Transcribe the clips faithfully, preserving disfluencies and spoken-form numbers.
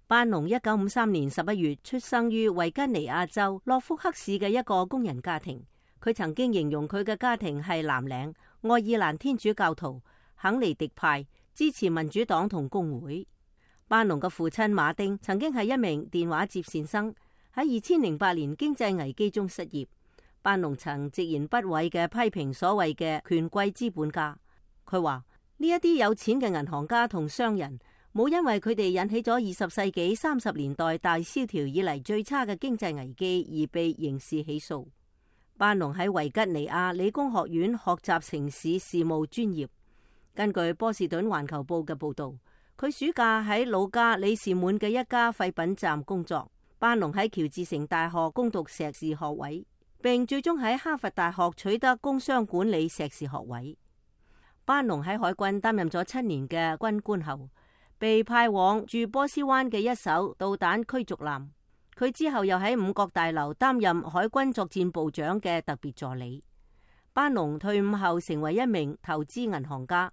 班農一九五三年十一月出生於維吉尼亞州諾福克市嘅一個工人家庭。佢曾經形容佢嘅家庭係藍領、愛爾蘭天主教徒、肯尼迪派，支持民主黨同工會。班農嘅父親馬丁曾經係一名電話接線生，喺二千零八年經濟危機中失業。班農曾直言不諱嘅批評所謂嘅權貴資本家。佢話呢一啲有錢嘅銀行家同商人冇因為佢哋引起咗二十世紀三十年代大蕭條以嚟最差嘅經濟危機而被刑事起訴。班農喺維吉尼亞理工學院學習城市事務專業。根據波士頓環球報嘅報道，佢暑假喺老家里士滿嘅一家廢品站工作。班農喺喬治城大學攻讀碩士學位，並最終喺哈佛大學取得工商管理碩士學位。班農喺海軍擔任咗七年嘅軍官後，被派往駐波斯灣嘅一艘導彈驅逐艦。佢之後又喺五角大樓擔任海軍作戰部長嘅特別助理。班農退伍後成為一名投資銀行家，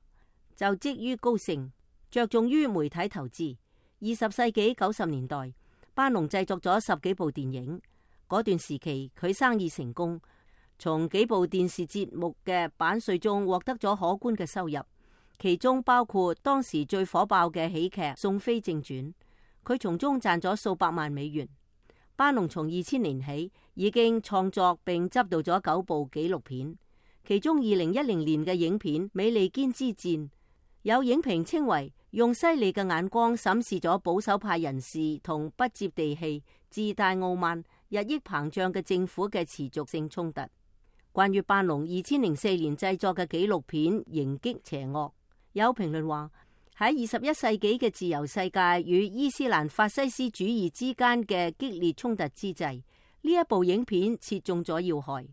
就職於高盛，着重於媒體投資。二十世紀九十年代，班農製作咗十幾部電影。嗰段時期佢生意成功，從幾部電視節目嘅版稅中獲得咗可觀嘅收入，其中包括當時最火爆嘅喜劇《宋飛正傳》，佢從中賺咗數百萬美元。班農從二千年起已經創作並執導咗九部紀錄片，其中二零一零年嘅影片《美利堅之戰》，有影評稱為用犀利嘅眼光審視咗保守派人士同不接地氣、自大傲慢、日益膨脹嘅政府嘅持續性衝突。關於班農二千零四年製作嘅紀錄片《迎擊邪惡》，有評論話，喺二十一世紀嘅自由世界與伊斯蘭法西斯主義之間嘅激烈衝突之際，呢一部影片切中咗要害。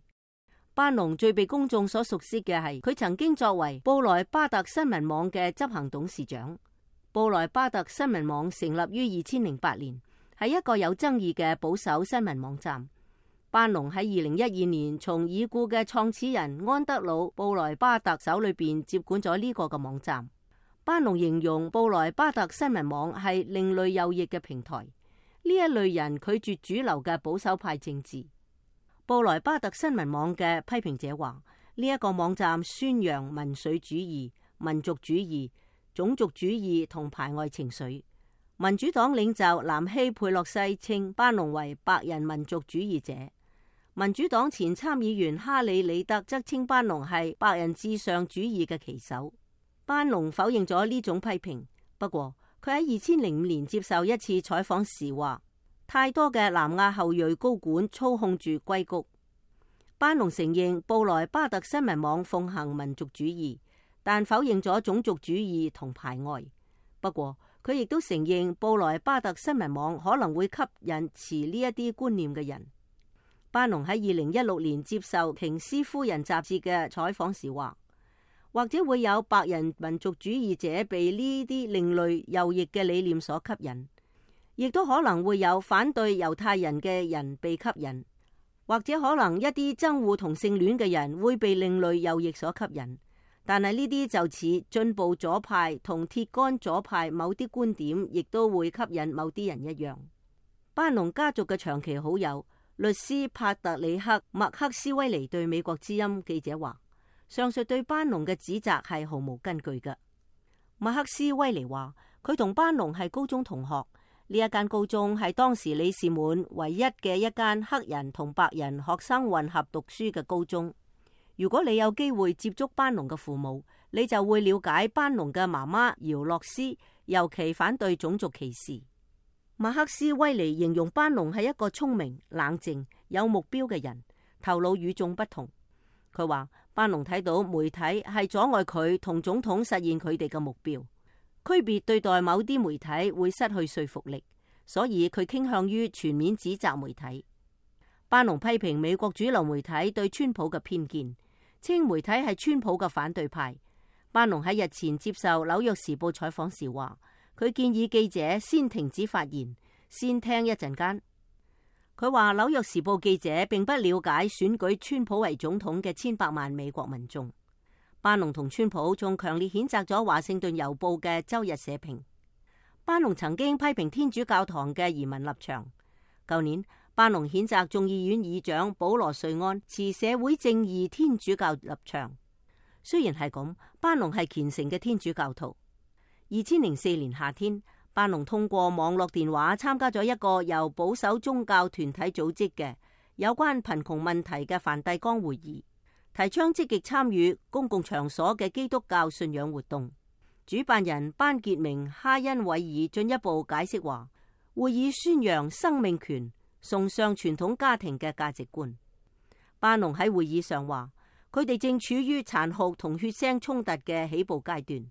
班農最被公眾所熟悉嘅係佢曾經作為布萊巴特新聞網嘅執行董事長。布萊巴特新聞網成立於二千零八年，係一個有爭議嘅保守新聞網站。班農喺二零一二年從已故嘅創始人安德魯布萊巴特手裏邊接管咗呢個嘅網站。班農形容布萊巴特新聞網係另類右翼嘅平台，呢一類人拒絕主流嘅保守派政治。布萊巴特新聞網嘅批評者話，呢一個網站宣揚民粹主義、民族主義、種族主義同排外情緒。民主黨領袖南希佩洛西稱班農為白人民族主義者。民主黨前參議員哈里里德則稱班農係白人至上主義嘅旗手。班農否認咗呢種批評，不過佢喺二千零五年接受一次採訪時話，太多嘅南亞後裔高管操控住硅谷。班農承認布萊巴特新聞網奉行民族主義，但否認咗種族主義同排外。不過佢亦都承認布萊巴特新聞網可能會吸引持呢一啲觀念嘅人。班農喺二零一六年接受《瓊斯夫人》雜誌嘅採訪時話，或者會有白人民族主義者被呢啲另類右翼嘅理念所吸引，亦都可能會有反對猶太人嘅人被吸引，或者可能一啲憎惡同性戀嘅人會被另類右翼所吸引。但係呢啲就似進步左派同鐵桿左派某啲觀點，亦都會吸引某啲人一樣。班農家族嘅長期好友律師帕特里克麥克斯威尼對美國之音記者話，上述對班農嘅指責係毫無根據嘅。麥克斯威尼話，佢同班農係高中同學，呢一間高中係當時里士滿唯一嘅一間黑人同白人學生混合讀書嘅高中。如果你有機會接觸班農嘅父母，你就會了解班農嘅媽媽姚洛斯尤其反對種族歧視。麥克斯威尼形容班農係一個聰明、冷靜、有目標嘅人，頭腦與眾不同。佢話班農睇到媒體係阻礙佢同總統實現佢哋嘅目標，區別對待某啲媒體會失去說服力，所以佢傾向於全面指責媒體。班農批評美國主流媒體對川普嘅偏見，稱媒體係川普嘅反對派。班農喺日前接受紐約時報採訪時話，佢建議記者先停止發言，先聽一陣間。佢話紐約時報記者並不了解選舉川普為總統嘅千百萬美國民眾。班農同川普仲強烈譴責咗華盛頓郵報嘅周日社評。班農曾經批評天主教堂嘅移民立場。舊年，班農譴責眾議院議長保羅瑞安持社會正義天主教立場。雖然係咁，班農係虔誠嘅天主教徒。二千零四年夏天，班農通過網絡電話參加咗一個由保守宗教團體組織嘅有關貧窮問題嘅梵蒂岡會議，提倡積極參與公共場所嘅基督教信仰活動。主辦人班傑明哈恩韋爾進一步解釋話，會議宣揚生命權，崇尚傳統家庭嘅價值觀。班農喺會議上話，佢哋正處於殘酷同血腥衝突嘅起步階段。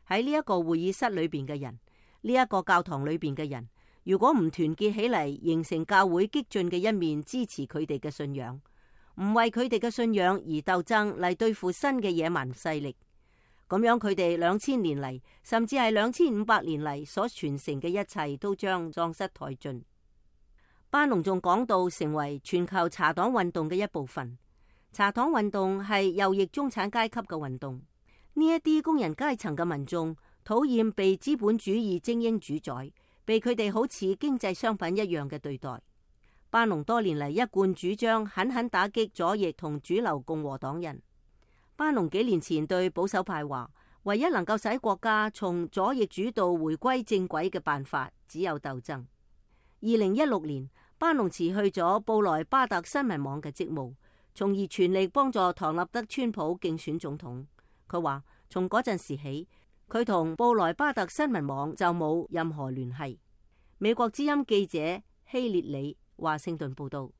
喺呢一個會議室裏邊嘅人，呢一個教堂裏邊嘅人，如果唔團結起嚟，形成教會激進嘅一面，支持佢哋嘅信仰，唔為佢哋嘅信仰而鬥爭嚟對付新嘅野蠻勢力，咁樣佢哋兩千年嚟，甚至係兩千五百年嚟所傳承嘅一切，都將喪失殆盡。班農仲講到成為全球茶黨運動嘅一部分。茶黨運動係右翼中產階級嘅運動。呢一啲工人階層嘅民眾討厭被資本主義精英主宰，被佢哋好似經濟商品一樣嘅對待。班農多年嚟一貫主張狠狠打擊左翼同主流共和黨人。班農幾年前對保守派話，唯一能夠使國家從左翼主導回歸正軌嘅辦法，只有鬥爭。二零一六年，班農辭去咗布萊巴特新聞網嘅職務，從而全力幫助唐納德川普競選總統。佢話從嗰陣時起，佢同布萊巴特新聞網就冇任何聯繫。美國之音記者希列里華盛頓報道。